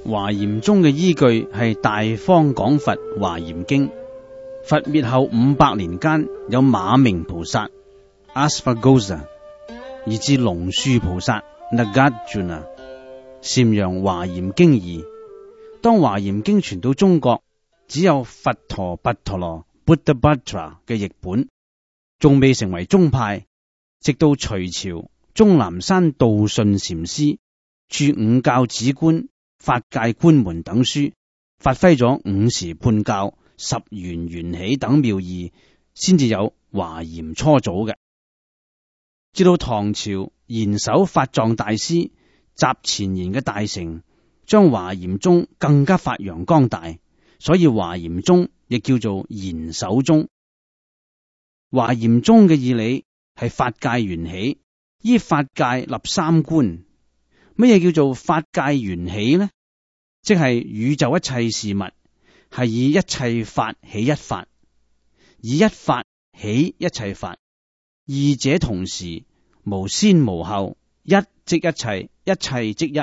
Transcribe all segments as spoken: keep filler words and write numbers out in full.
華嚴宗嘅依據係大方廣佛華嚴經。佛滅後五百年間，有馬鳴菩薩 Asvaghosha， 以至龍樹菩薩 Nagarjuna 禪揚華嚴經義。當華嚴經傳到中國，只有佛陀跋陀羅 Buddhabhadra 嘅譯本，仲未成為宗派。直到隋朝，終南山道順禪師著《五教止觀》、法界觀門等書，發揮咗五時判教、十緣緣起等妙義，先至有華嚴初祖嘅。至到唐朝，賢首法藏大師集前賢嘅大成，將華嚴宗更加發揚光大，所以華嚴宗亦叫做賢首宗。華嚴宗嘅義理係法界緣起，依法界立三觀。乜嘢叫做法界緣起呢？即係宇宙一切事物係以一切法起一法，以一法起一切法，二者同時，無先無後，一即一切，一切即一。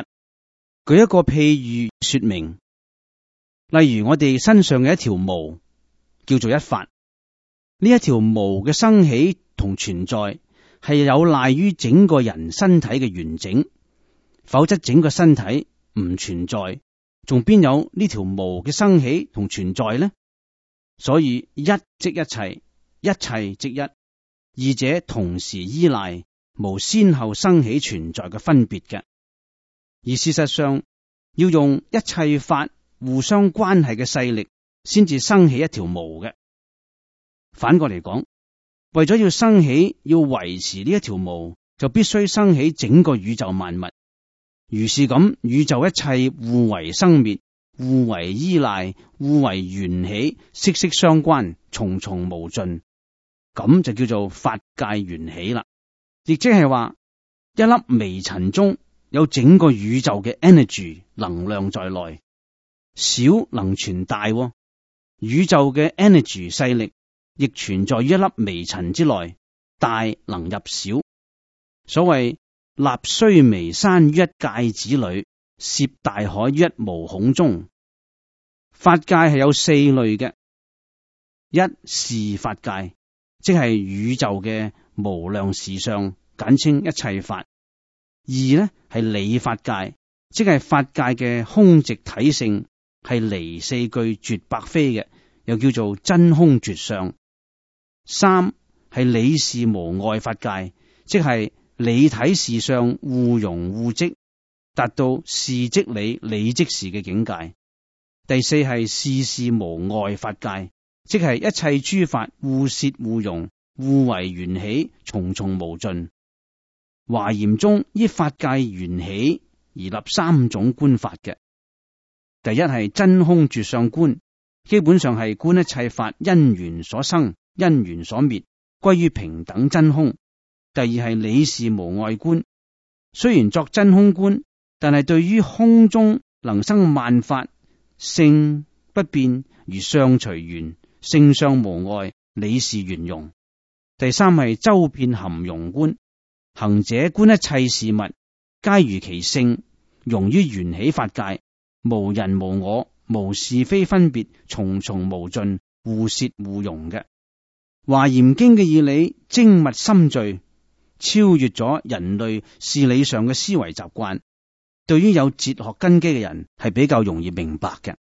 舉一個譬喻說明，例如我哋身上嘅一條毛叫做一法，呢一條毛嘅生起同存在係有賴於整個人身體嘅完整，否則整個身體唔存在，仲邊有呢條毛嘅生起同存在呢？所以一即一切，一切即一，二者同時依賴，無先後生起存在嘅分別嘅。而事實上，要用一切法互相關係嘅勢力，先至生起一條毛嘅。反過嚟講，為咗要生起，要維持呢一條毛，就必須生起整個宇宙萬物。如是咁，宇宙一切互為生滅，互為依賴，互為緣起，息息相關，重重無盡，咁就叫做法界緣起啦。亦即係話，一粒微塵中有整個宇宙嘅 energy 能量在內，小能傳大，宇宙嘅 energy 勢力亦存在於一粒微塵之內，大能入小。所謂立須彌山於一芥子裏，涉大海於一毛孔中。法界係有四類嘅：一事法界，即係宇宙嘅無量事相，簡稱一切法；二呢係理法界，即係法界嘅空寂體性，係離四句絕百非嘅，又叫做真空絕相；三係理事無礙法界，即係理體事相互融互即，達到事即理，理即事嘅境界。第四係事事無礙法界，即係一切諸法互攝互融，互為緣起，重重無盡。華嚴宗依法界緣起而立三種觀法嘅。第一係真空絕相觀，基本上係觀一切法因緣所生，因緣所滅，歸於平等真空。第二係理事無礙觀，雖然作真空觀，但係對於空中能生萬法，性不變如相隨緣，性相無礙，理事圓融。第三係周遍含容觀，行者觀一切事物皆如其性，融於緣起法界，無人無我，無是非分別，重重無盡，互攝互融嘅。華嚴經嘅義理精密深邃，超越咗人類事理上嘅思維習慣，對於有哲學根基嘅人係比較容易明白嘅。